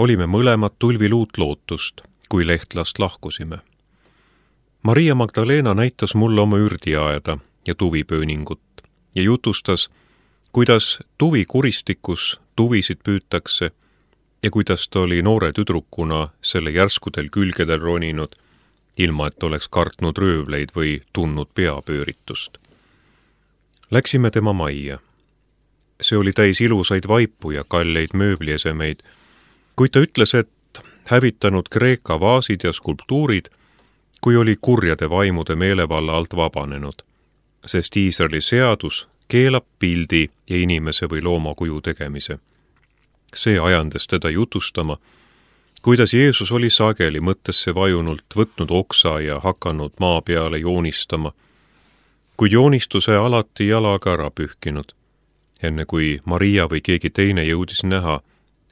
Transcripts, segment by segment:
olime mõlemad tulviluut lootust, kui Lehtlast lahkusime. Maria Magdalena näitas mulle oma ürdiaeda ja tuvipööningut ja jutustas, kuidas tuvikuristikus tuvisid püütakse ja kuidas ta oli noore tüdrukuna selle järskudel külgedel roninud, ilma et oleks kartnud röövleid või tundnud peapööritust. Läksime tema majja. See oli täis ilusaid vaipu ja kalleid mööbliesemeid, kuid ta ütles, et hävitanud Kreeka vaasid ja skulptuurid, kui oli kurjade vaimude meelevalla alt vabanenud, sest Iisraeli seadus keelab pildi ja inimese või loomakuju tegemise. See ajandas teda jutustama, kuidas Jeesus oli sageli mõttesse vajunult võtnud oksa ja hakanud maa peale joonistama, kuid joonistuse alati jalaga ära pühkinud, enne kui Maria või keegi teine jõudis näha,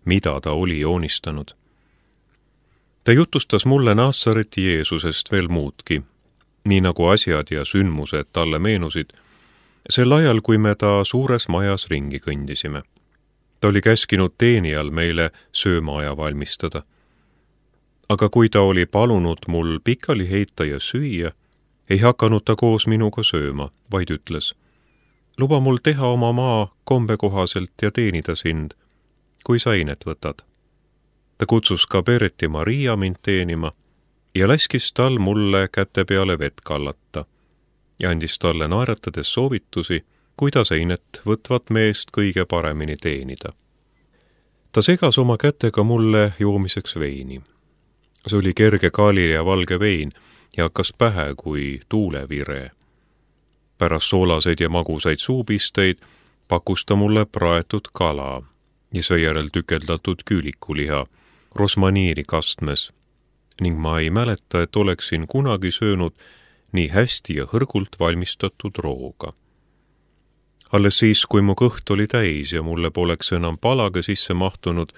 mida ta oli joonistanud. Ta jutustas mulle Naasareti Jeesusest veel muudki, nii nagu asjad ja sündmused talle meenusid, sel ajal, kui me ta suures majas ringi kõndisime. Ta oli käskinud teenijal meile söömaaja valmistada. Aga kui ta oli palunud mul pikali heita ja süüa, ei hakanud ta koos minuga sööma, vaid ütles, luba mul teha oma maa kombe kohaselt ja teenida sind, kui sa ainet võtad. Ta kutsus ka Pereti Maria mind teenima ja laskis tal mulle käte peale vett kallata ja andis talle naeratades soovitusi, kuidas ainet võtvat meest kõige paremini teenida. Ta segas oma kätega mulle joomiseks veini. See oli kerge kaali ja valge vein ja hakkas pähe kui tuulevire. Pärast soolaseid ja magusaid suupisteid pakkus ta mulle praetud kala ja seejärel tükeldatud küülikuliha rosmaniiri kastmes ning ma ei mäleta, et oleksin kunagi söönud nii hästi ja hõrgult valmistatud rooga. Alles siis, kui mu kõht oli täis ja mulle poleks enam palage sisse mahtunud,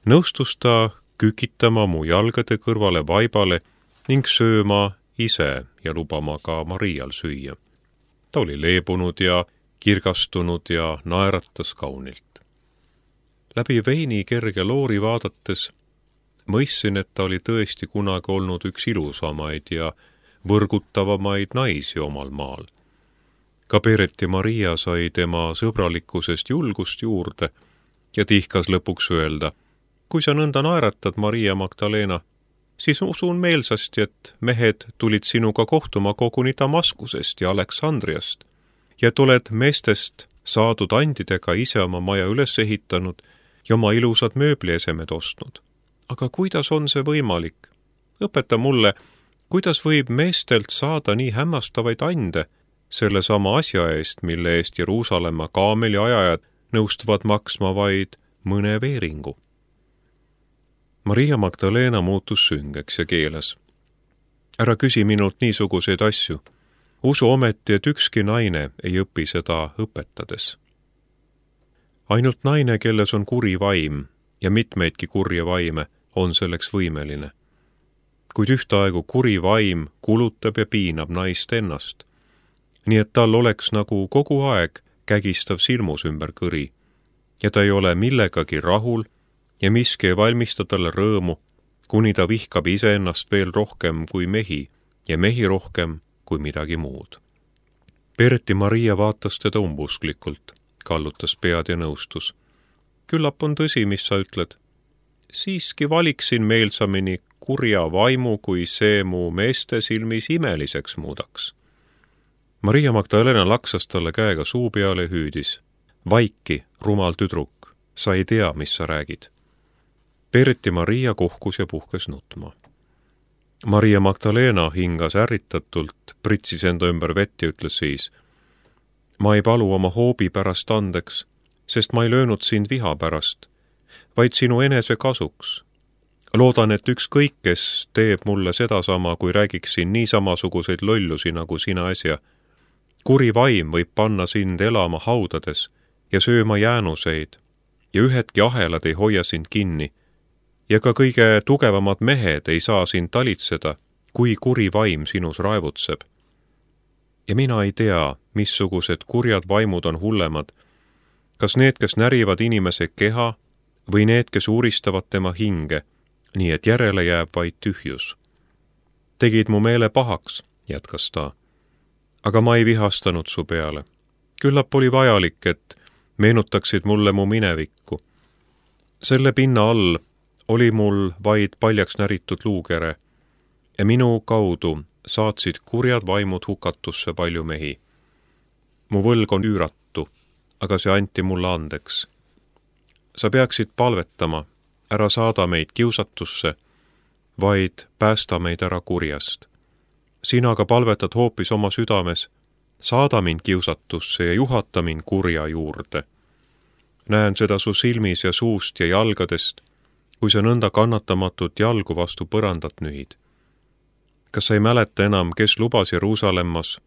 nõustus ta kükitama mu jalgade kõrvale vaibale ning sööma ise ja lubama ka Marial süüa. Ta oli leebunud ja kirgastunud ja naeratas kaunilt. Läbi veini kerge loori vaadates mõistsin, et ta oli tõesti kunagi olnud üks ilusamaid ja võrgutavamaid naisi omal maal. Ka Pereti Maria sai tema sõbralikkusest julgust juurde ja tihkas lõpuks öelda, kui sa nõnda naeratad, Maria Magdalena, siis usun meelsasti, et mehed tulid sinuga kohtuma koguni Damaskusest ja Aleksandriast ja et oled meestest saadud andidega ise oma maja üles ehitanud ja oma ilusad mööbliesemed ostnud. Aga kuidas on see võimalik? Õpeta mulle, kuidas võib meestelt saada nii hämmastavaid ande selle sama asja eest, mille eest Jeruusalemma kaameliajajad nõustuvad maksma vaid mõne veeringu. Maria Magdalena muutus süngeks ja keeles. Ära küsi minult niisuguseid asju. Usu ometi, et ükski naine ei õpi seda õpetades. Ainult naine, kelles on kuri vaim ja mitmeidki kurje vaime, on selleks võimeline. Kuid ühtaegu kuri vaim kulutab ja piinab naist ennast, nii et tal oleks nagu kogu aeg kägistav silmus ümber kõri ja ta ei ole millegagi rahul ja miski ei valmista talle rõõmu, kuni ta vihkab iseennast veel rohkem kui mehi ja mehi rohkem kui midagi muud. Pereti Maria vaatas teda umbusklikult, kallutas pead ja nõustus. Küllap on tõsi, mis sa ütled. Siiski valiksin meelsamini kurja vaimu, kui see mu meeste silmis imeliseks muudaks. Maria Magdalena laksas talle käega suu peale ja hüüdis. Vaiki, rumal tüdruk, sa ei tea, mis sa räägid. Pereti Maria kohkus ja puhkes nutma. Maria Magdalena hingas ärritatult, pritsis enda ümber vett ja ütles siis. Ma ei palu oma hoobi pärast andeks, sest ma ei löönud sind viha pärast, vaid sinu enese kasuks. Loodan, et ükskõik, kes teeb mulle sedasama, kui räägiksin nii samasuguseid lollusi nagu sina äsja. Kuri vaim võib panna sind elama haudades ja sööma jäänuseid ja ühedki ahelad ei hoia sind kinni ja ka kõige tugevamad mehed ei saa sind talitseda, kui kuri vaim sinus raevutseb. Ja mina ei tea, missugused kurjad vaimud on hullemad, kas need, kes närivad inimese keha või need, kes uuristavad tema hinge, nii et järele jääb vaid tühjus. Tegid mu meele pahaks, jätkas ta. Aga ma ei vihastanud su peale. Küllap oli vajalik, et meenutaksid mulle mu minevikku. Selle pinna all oli mul vaid paljaks näritud luukere ja minu kaudu saatsid kurjad vaimud hukatusse palju mehi. Mu võlg on üüratu, aga see anti mulle andeks. Sa peaksid palvetama, ära saada meid kiusatusse, vaid päästa meid ära kurjast. Sina aga palvetad hoopis oma südames, saada mind kiusatusse ja juhata mind kurja juurde. Näen seda su silmis ja suust ja jalgadest, kui sa nõnda kannatamatut jalgu vastu põrandat nühid. Kas sa ei mäleta enam, kes lubas Jeruusalemmas,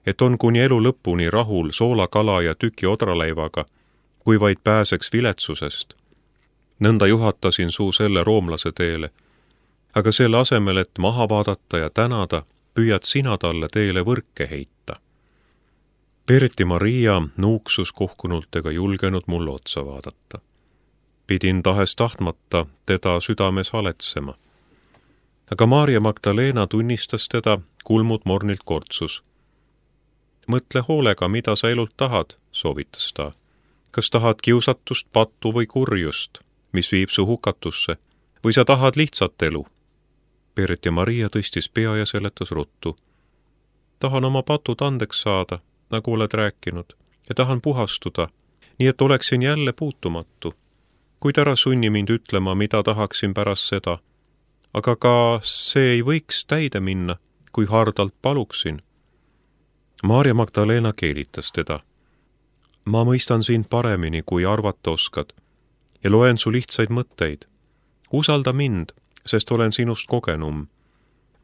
et on kuni elu lõpuni rahul soolakala ja tüki odraleivaga, kui vaid pääseks viletsusest? Nõnda juhatasin suu selle roomlase teele, aga selle asemel, et maha vaadata ja tänada, püüad sina talle teele võrke heita. Perti Maria nuuksus kohkunult ega julgenud mulle otsa vaadata. Pidin tahes tahtmata teda südames haletsema. Aga Maarja Magdalena tunnistas teda, kulmud mornilt kortsus. Mõtle hoolega, mida sa elult tahad, soovitas ta. Kas tahad kiusatust, pattu või kurjust, mis viib su hukatusse, või sa tahad lihtsat elu? Perti Maria tõstis pea ja seletas ruttu. Tahan oma patud andeks saada, nagu oled rääkinud, ja tahan puhastuda, nii et oleksin jälle puutumatu. Kuid ära sunni mind ütlema, mida tahaksin pärast seda. Aga ka see ei võiks täide minna, kui hardalt paluksin. Maarja Magdalena keelitas teda. Ma mõistan sind paremini, kui arvata oskad, ja loen su lihtsaid mõtteid. Usalda mind, sest olen sinust kogenum.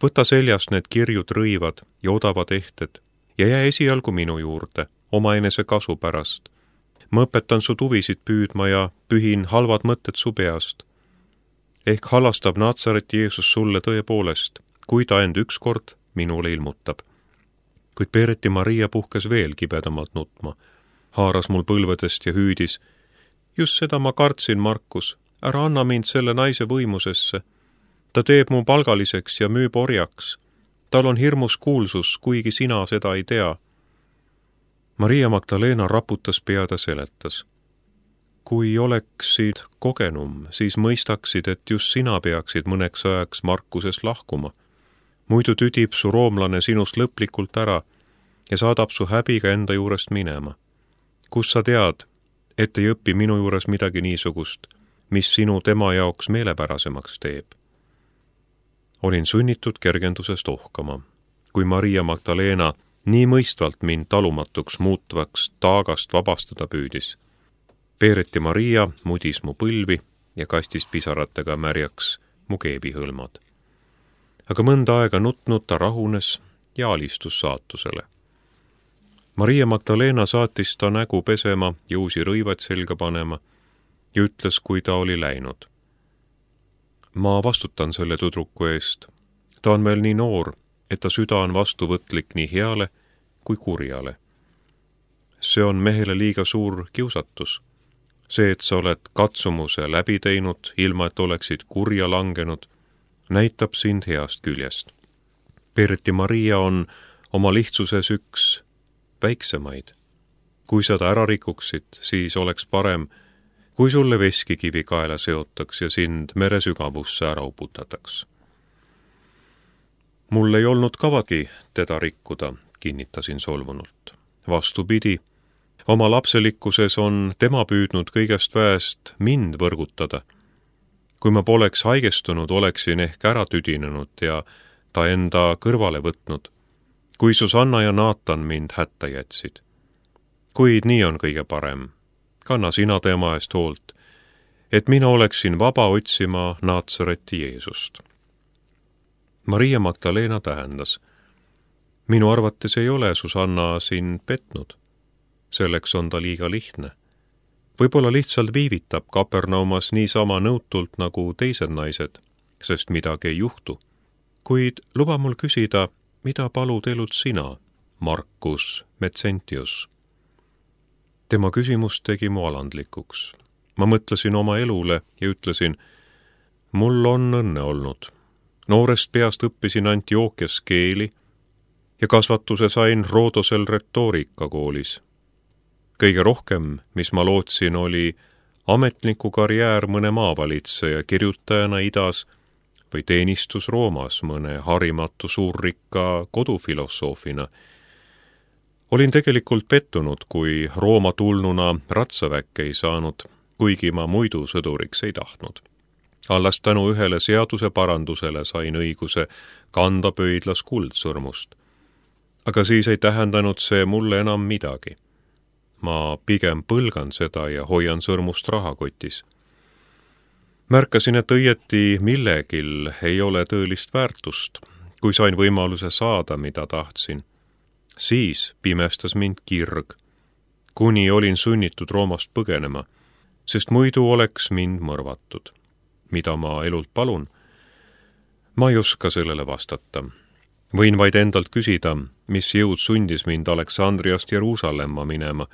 Võta seljast need kirjud rõivad ja odavad ehted ja jää esialgu minu juurde, omaenese kasu pärast. Ma õpetan su tuvisid püüdma ja pühin halvad mõtted su peast. Ehk halastab Natsareti Jeesus sulle tõepoolest, kui ta end ükskord minule ilmutab. Kuid Perti Maria puhkes veel kibedamalt nutma, haaras mul põlvedest ja hüüdis. Just seda ma kartsin, Markus, ära anna mind selle naise võimusesse. Ta teeb mu palgaliseks ja müüb orjaks. Tal on hirmus kuulsus, kuigi sina seda ei tea. Maria Magdalena raputas pead ja seletas. Kui oleksid kogenum, siis mõistaksid, et just sina peaksid mõneks ajaks Markusest lahkuma. Muidu tüdib su roomlane sinust lõplikult ära ja saadab su häbiga enda juurest minema. Kus sa tead, et ei õpi minu juures midagi niisugust, mis sinu tema jaoks meelepärasemaks teeb? Olin sunnitud kergendusest ohkama, kui Maria Magdalena nii mõistvalt mind talumatuks muutvaks taagast vabastada püüdis. Perti Maria mudis mu põlvi ja kastis pisaratega märjaks mu keebihõlmad. Aga mõnda aega nutnud ta rahunes ja alistus saatusele. Maria Magdalena saatis ta nägu pesema ja uusi rõivad selga panema ja ütles, kui ta oli läinud. Ma vastutan selle tüdruku eest. Ta on veel nii noor, et ta süda on vastuvõtlik nii heale kui kurjale. See on mehele liiga suur kiusatus. See, et sa oled katsumuse läbi teinud, ilma et oleksid kurja langenud, näitab sind heast küljest. Perti Maria on oma lihtsuses üks väiksemaid. Kui seda ära rikuksid, siis oleks parem, kui sulle veskikivi kaela seotaks ja sind mere sügavusse ära uputataks. Mul ei olnud kavagi teda rikkuda, kinnitasin solvunult. Vastupidi, oma lapselikkuses on tema püüdnud kõigest väest mind võrgutada. Kui ma poleks haigestunud, oleksin ehk ära tüdinenud ja ta enda kõrvale võtnud, kui Susanna ja Naatan mind hätta jätsid. Kuid nii on kõige parem. Kanna sina tema eest hoolt, et mina oleksin vaba otsima Natsareti Jeesust. Maria Magdalena tähendas. Minu arvates ei ole Susanna sind petnud. Selleks on ta liiga lihtne. Võib-olla lihtsalt viivitab Kapernaumas niisama nõutult nagu teised naised, sest midagi ei juhtu. Kuid luba mul küsida, mida palud elult sina, Markus Metsentius? Tema küsimus tegi mu alandlikuks. Ma mõtlesin oma elule ja ütlesin, mul on õnne olnud. Noorest peast õppisin Antiookias keeli ja kasvatuse sain Roodosel retoorikakoolis. Kõige rohkem, mis ma lootsin, oli ametniku karjäär mõne maavalitseja kirjutajana idas või teenistus Roomas mõne harimatu suurrikka kodufilosoofina. Olin tegelikult pettunud, kui Rooma tulnuna ratsaväkke ei saanud, kuigi ma muidu sõduriks ei tahtnud. Alles tänu ühele seaduse parandusele sain õiguse kanda pöidlas kuldsõrmust. Aga siis ei tähendanud see mulle enam midagi. Ma pigem põlgan seda ja hoian sõrmust rahakotis. Märkasin, et õieti millegil ei ole tõelist väärtust, kui sain võimaluse saada, mida tahtsin. Siis pimestas mind kirg, kuni olin sunnitud Roomast põgenema, sest muidu oleks mind mõrvatud. Mida ma elult palun? Ma ei oska sellele vastata. Võin vaid endalt küsida, mis jõud sundis mind Aleksandriast Jeruusalemma minema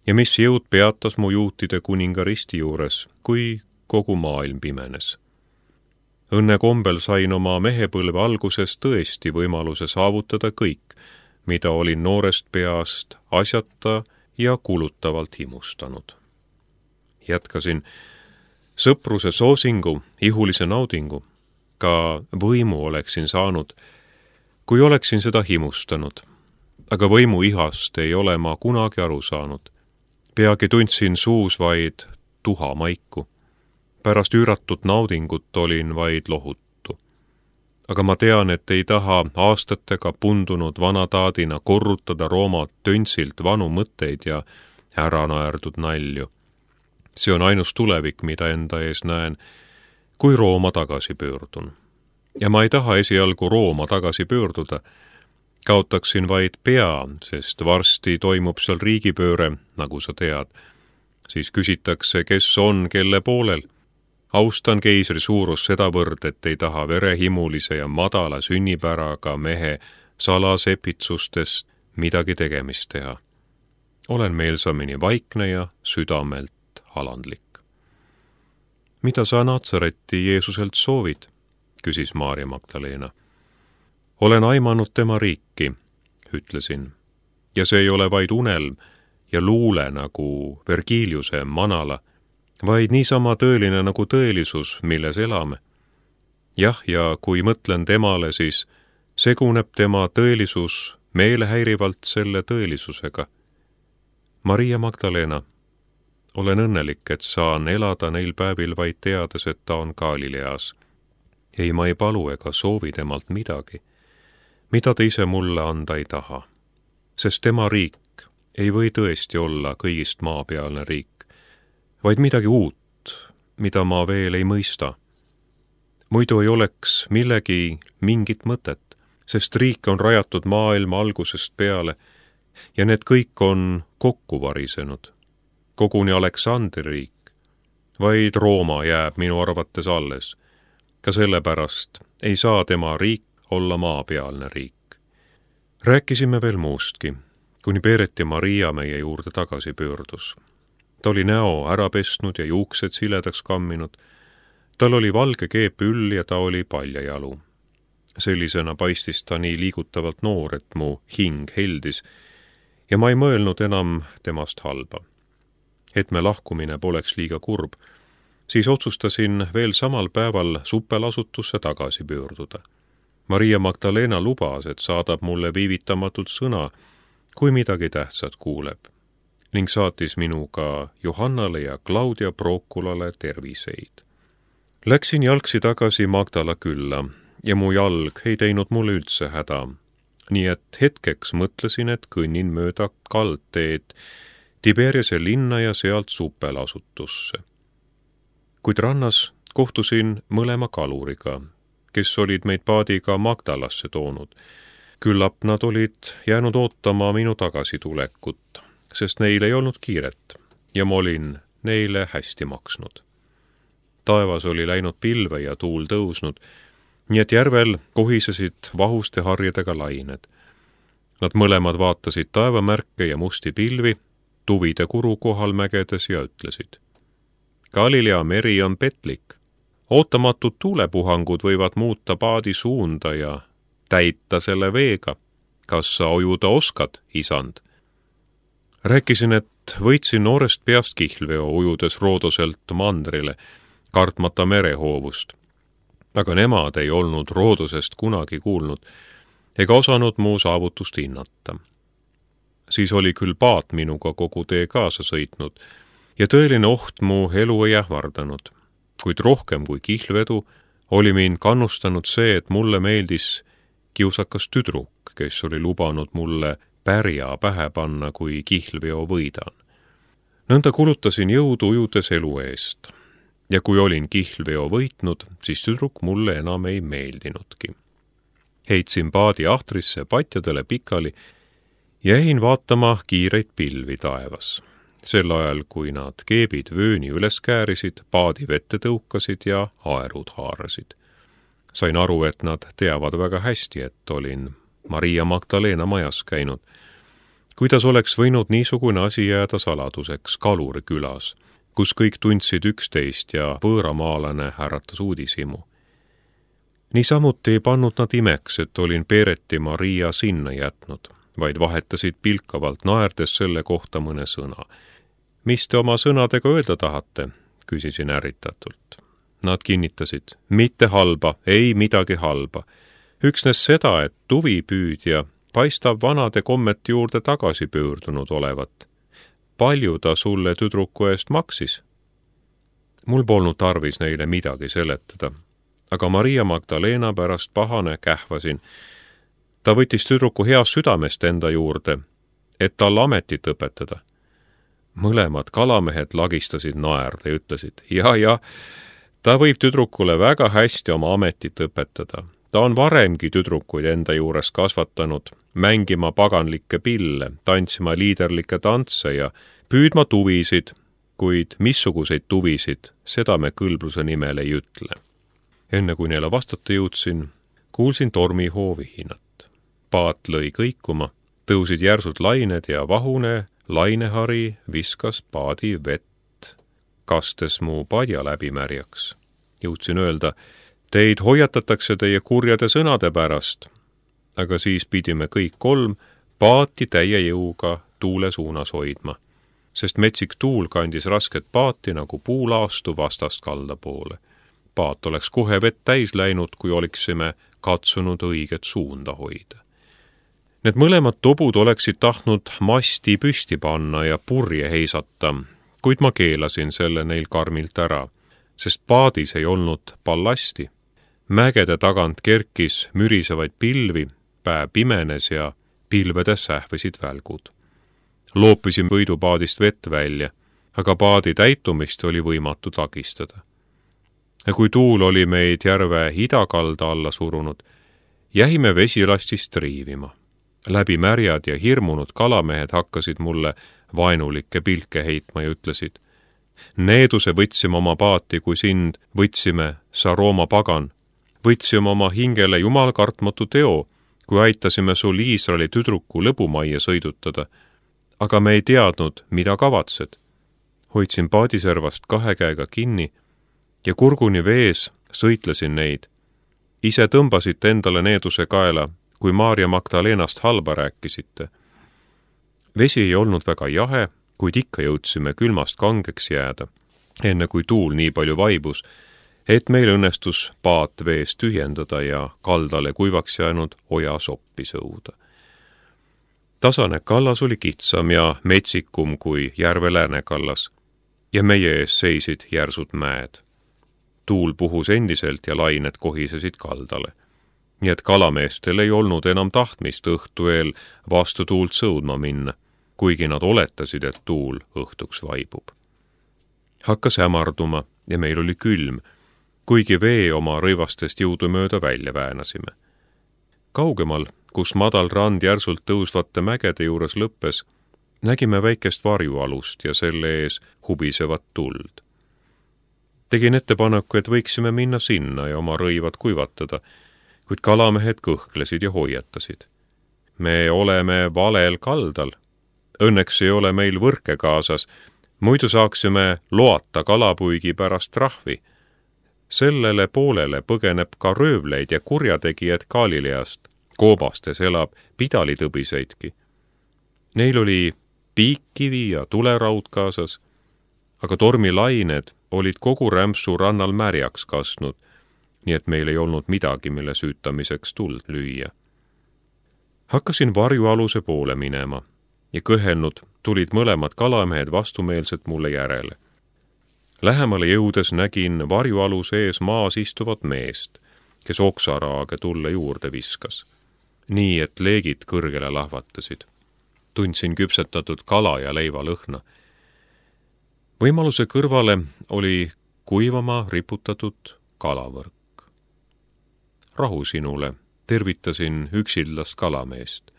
ja mis jõud peatas mu juutide kuninga risti juures, kui kogu maailm pimenes. Õnne kombel sain oma mehepõlve alguses tõesti võimaluse saavutada kõik, mida olin noorest peast asjata ja kulutavalt himustanud. Jätkasin sõpruse soosingu, ihulise naudingu, ka võimu oleksin saanud, kui oleksin seda himustanud, aga võimu ihast ei ole ma kunagi aru saanud. Peagi tundsin suus vaid tuha maiku. Pärast üüratut naudingut olin vaid lohuttu. Aga ma tean, et ei taha aastatega pundunud vanataadina korrutada Rooma töntsilt vanu mõtteid ja ära naerdud nalju. See on ainus tulevik, mida enda ees näen, kui Rooma tagasi pöördun. Ja ma ei taha esialgu Rooma tagasi pöörduda. Kaotaksin vaid pea, sest varsti toimub seal riigipööre, nagu sa tead. Siis küsitakse, kes on kelle poolel. Austan keisri suurus sedavõrd, et ei taha verehimulise ja madala sünnipäraga mehe salasepitsustest midagi tegemist teha. Olen meelsamini vaikne ja südamelt alandlik. Mida sa Natsareti Jeesuselt soovid? Küsis Maarja Magdaleena. Olen aimanud tema riiki, ütlesin, ja see ei ole vaid unelm ja luule nagu Vergiliuse manala, vaid niisama tõeline nagu tõelisus, milles elame. Jah, ja kui mõtlen temale, siis seguneb tema tõelisus meelehäirivalt selle tõelisusega. Maria Magdaleena, olen õnnelik, et saan elada neil päevil vaid teades, et ta on Galileas. Ei, ma ei palu ega soovi temalt midagi, mida ta ise mulle anda ei taha, sest tema riik ei või tõesti olla kõigist maapealne riik, vaid midagi uut, mida ma veel ei mõista. Muidu ei oleks millegi mingit mõtet, sest riik on rajatud maailma algusest peale ja need kõik on kokku varisenud. Koguni Aleksandri riik, vaid Rooma jääb minu arvates alles. Ka sellepärast ei saa tema riik olla maapealne riik. Rääkisime veel muustki, kuni Peeret ja Maria meie juurde tagasi pöördus. Ta oli näo ära pesnud ja juuksed siledaks kamminud. Tal oli valge keepüll ja ta oli paljajalu. Sellisena paistis ta nii liigutavalt noor, et mu hing heldis ja ma ei mõelnud enam temast halba. Et me lahkumine poleks liiga kurb, siis otsustasin veel samal päeval suppelasutusse tagasi pöörduda. Maria Magdaleena lubas, et saadab mulle viivitamatult sõna, kui midagi tähtsat kuuleb, ning saatis minuga Johannale ja Claudia Prokulale terviseid. Läksin jalgsi tagasi Magdala külla ja mu jalg ei teinud mulle üldse häda, nii et hetkeks mõtlesin, et kõnnin mööda kaldteed Tiberiase linna ja sealt suppelasutusse. Kuid rannas kohtusin mõlema kaluriga, kes olid meid paadiga Magdalasse toonud. Küllap nad olid jäänud ootama minu tagasitulekut, sest neil ei olnud kiiret ja ma olin neile hästi maksnud. Taevas oli läinud pilve ja tuul tõusnud, nii et järvel kohisesid vahuste harjedega lained. Nad mõlemad vaatasid taevamärke ja musti pilvi, tuvide kuru kohal mägedes ja ütlesid: Galilea meri on petlik. Ootamatud tuulepuhangud võivad muuta paadi suunda ja täita selle veega. Kas sa ujuda oskad, isand? Rääkisin, et võitsin noorest peast kihlveo ujudes Roodoselt mandrile, kartmata merehoovust. Aga nemad ei olnud Roodosest kunagi kuulnud ega osanud mu saavutust hinnata. Siis oli küll paat minuga kogu tee kaasa sõitnud ja tõeline oht mu elu ei ähvardanud, kuid rohkem kui kihlvedu oli mind kannustanud see, et mulle meeldis kiusakas tüdruk, kes oli lubanud mulle pärja pähe panna, kui kihlveo võidan. Nõnda kulutasin jõudu ujudes elu eest ja kui olin kihlveo võitnud, siis tüdruk mulle enam ei meeldinudki. Heitsin paadi ahtrisse patjadele pikali ja jäin vaatama kiireid pilvi taevas. Sel ajal, kui nad keebid vööni üles käärisid, paadi vette tõukasid ja aerud haarasid. Sain aru, et nad teavad väga hästi, et olin Maria Magdalena majas käinud. Kuidas oleks võinud niisugune asi jääda saladuseks Kaluri külas, kus kõik tundsid üksteist ja võõramaalane äratas uudishimu. Niisamuti ei pannud nad imeks, et olin Peereti Maria sinna jätnud, vaid vahetasid pilkavalt naerdes selle kohta mõne sõna. Mis te oma sõnadega öelda tahate? Küsisin ärritatult. Nad kinnitasid, mitte halba, ei midagi halba. Üksnes seda, et tuvipüüdja paistab vanade kommete juurde tagasi pöördunud olevat. Palju ta sulle tüdruku eest maksis? Mul polnud tarvis neile midagi seletada, aga Maria Magdalena pärast pahane kähvasin. Ta võttis tüdruku heast südamest enda juurde, et tal ametit õpetada. Mõlemad kalamehed lagistasid naerda ja ütlesid, ja, ta võib tüdrukule väga hästi oma ametit õpetada. Ta on varemgi tüdrukuid enda juures kasvatanud, mängima paganlikke pille, tantsima liiderlikke tantse ja püüdma tuvisid, kuid missuguseid tuvisid, seda me kõlbluse nimel ei ütle. Enne kui neile vastata jõudsin, kuulsin tormihoovi hinnat. Paat lõi kõikuma, tõusid järsud lained ja vahune lainehari viskas paadi vett, kastes mu padja läbi märjaks. Jõudsin öelda, teid hoiatatakse teie kurjade sõnade pärast, aga siis pidime kõik kolm paati täie jõuga tuule suunas hoidma, sest metsik tuul kandis rasket paati nagu puulaastu vastast kalda poole. Paat oleks kohe vett täis läinud, kui oleksime katsunud õiget suunda hoida. Need mõlemad tobud oleksid tahtnud masti püsti panna ja purje heisata, kuid ma keelasin selle neil karmilt ära, sest paadis ei olnud ballasti. Mägede tagant kerkis mürisevaid pilvi, päev pimenes ja pilvedes sähvisid välgud. Loopisin võidupaadist vett välja, aga paadi täitumist oli võimatu takistada. Ja kui tuul oli meid järve idakalda alla surunud, jäime vesilastist riivima. Läbi märjad ja hirmunud kalamehed hakkasid mulle vaenulikke pilke heitma ja ütlesid, needuse võtsime oma paati, kui sind võtsime, sa Rooma pagan, võtsime oma hingele jumal kartmatu teo, kui aitasime sul Iisraeli tüdruku lõbumajja sõidutada, aga me ei teadnud, mida kavatsed. Hoidsin paadiservast kahe käega kinni ja kurguni vees sõitlesin neid. Ise tõmbasite endale needuse kaela, kui Maria Magdalenast halba rääkisite. Vesi ei olnud väga jahe, kuid ikka jõudsime külmast kangeks jääda, enne kui tuul nii palju vaibus, et meil õnnestus paat veest tühjendada ja kaldale kuivaks jäänud oja soppi sõuda. Tasane kallas oli kitsam ja metsikum kui järve läänekallas ja meie ees seisid järsud mäed. Tuul puhus endiselt ja lained kohisesid kaldale. Nii et kalameestel ei olnud enam tahtmist õhtu eel vastu tuult sõudma minna, kuigi nad oletasid, et tuul õhtuks vaibub. Hakkas hämarduma ja meil oli külm, kuigi vee oma rõivastest jõudumööda välja väänasime. Kaugemal, kus madal rand järsult tõusvate mägede juures lõppes, nägime väikest varjualust ja selle ees hubisevat tuld. Tegin ettepaneku, et võiksime minna sinna ja oma rõivad kuivatada, kuid kalamehed kõhklesid ja hoiatasid. Me oleme valel kaldal. Õnneks ei ole meil võrke kaasas, Muidu saaksime loata kalapuigi pärast trahvi. Sellele poolele põgeneb ka röövleid ja kurjategijad Galileast. Koobastes elab pidalitõbiseidki. Neil oli piikkivi ja tuleraud kaasas, aga tormilained olid kogu rämpsu rannal märjaks kasnud, nii et meil ei olnud midagi, mille süütamiseks tuld lüüa. Hakkasin varjualuse poole minema ja kõhelnud tulid mõlemad kalamehed vastumeelselt mulle järele. Lähemale jõudes nägin varjualuse ees maas istuvat meest, kes oksaraage tulle juurde viskas, nii et leegid kõrgele lahvatasid. Tundsin küpsetatud kala ja leiva lõhna. Võimaluse kõrvale oli kuivama riputatud kalavõrk. Rahu sinule, tervitasin üksildast kalameest.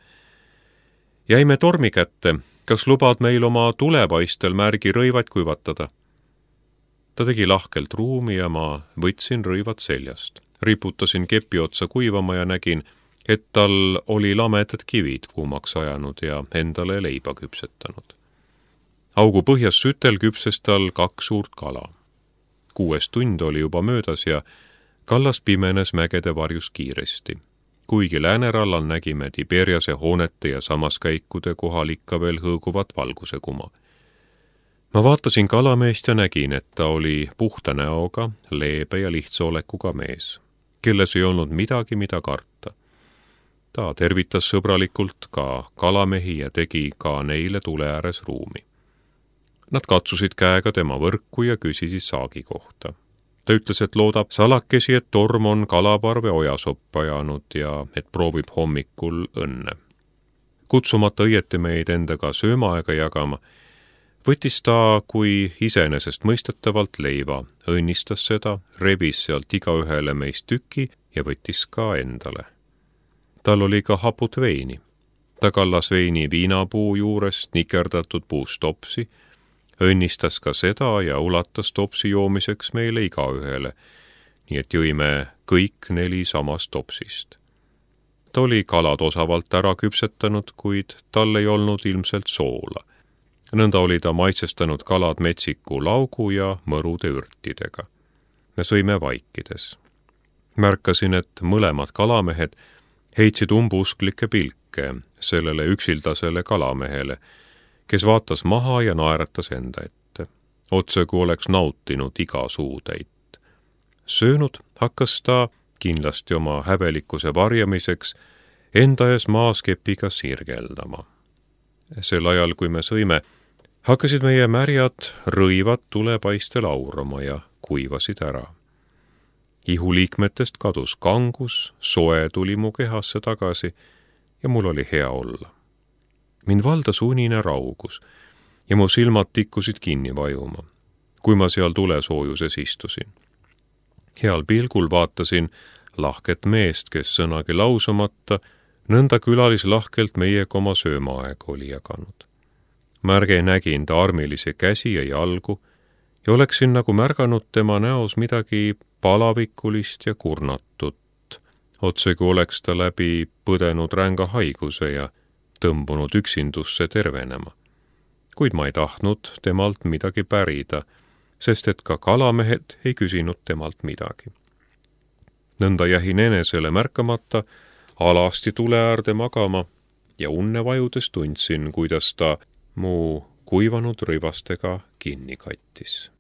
Jäime tormi kätte, kas lubad meil oma tulepaistel märgi rõivad kuivatada? Ta tegi lahkelt ruumi ja ma võtsin rõivad seljast. Riputasin kepi otsa kuivama ja nägin, et tal oli lamedad kivid kuumaks ajanud ja endale leiba küpsetanud. Augu põhjas sütel küpses tal 2 suurt kala. 6 tund oli juba möödas ja kallas pimenes mägede varjus kiiresti. Kuigi läänerallal nägime Tiberiase hoonete ja samaskäikude kohal ikka veel hõõguvat valguse kuma. Ma vaatasin kalameest ja nägin, et ta oli puhta näoga, leebe ja lihtsa olekuga mees, kelles ei olnud midagi, mida karta. Ta tervitas sõbralikult ka kalamehi ja tegi ka neile tule ääres ruumi. Nad katsusid käega tema võrku ja küsisid saagi kohta. Ta ütles, et loodab salakesi, et torm on kalaparve ojasoppa ajanud ja et proovib hommikul õnne. Kutsumata õieti meid endaga söömaaega jagama, võttis ta kui iseenesest mõistetavalt leiva, õnnistas seda, rebis sealt igaühele meist tüki ja võttis ka endale. Tal oli ka haput veini. Ta kallas veini viinapuu juurest nikerdatud puust topsi, õnnistas ka seda ja ulatas topsi joomiseks meile igaühele, nii et jõime kõik 4 samast topsist. Ta oli kalad osavalt ära küpsetanud, kuid tal ei olnud ilmselt soola. Nõnda oli ta maitsestanud kalad metsiku laugu ja mõrude ürtidega. Me sõime vaikides. Märkasin, et mõlemad kalamehed heitsid umbusklikke pilke sellele üksildasele kalamehele, kes vaatas maha ja naeratas enda ette, otse kui oleks nautinud iga suutäit. Söönud hakkas ta, kindlasti oma häbelikkuse varjamiseks, enda ees maaskepiga sirgeldama. Sel ajal, kui me sõime, hakkasid meie märjad rõivad tulepaistel aurama ja kuivasid ära. Ihuliikmetest kadus kangus, soe tuli mu kehasse tagasi ja mul oli hea olla. Mind valdas unine raugus ja mu silmad tikkusid kinni vajuma, kui ma seal tulesoojuses istusin. Heal pilgul vaatasin lahket meest, kes sõnagi lausumata, nõnda külalislahkelt meiega oma söömaaega oli jaganud. Märge nägin ta armilisi käsi ja jalgu ja oleksin nagu märganud tema näos midagi palavikulist ja kurnatut, otse kui oleks ta läbi põdenud ränga haiguse ja tõmbunud üksindusse tervenema. Kuid ma ei tahtnud temalt midagi pärida, sest et ka kalamehed ei küsinud temalt midagi. Nõnda jähin enesele märkamata, alasti tule äärde magama ja unne vajudes tundsin, kuidas ta mu kuivanud rõivastega kinni kattis.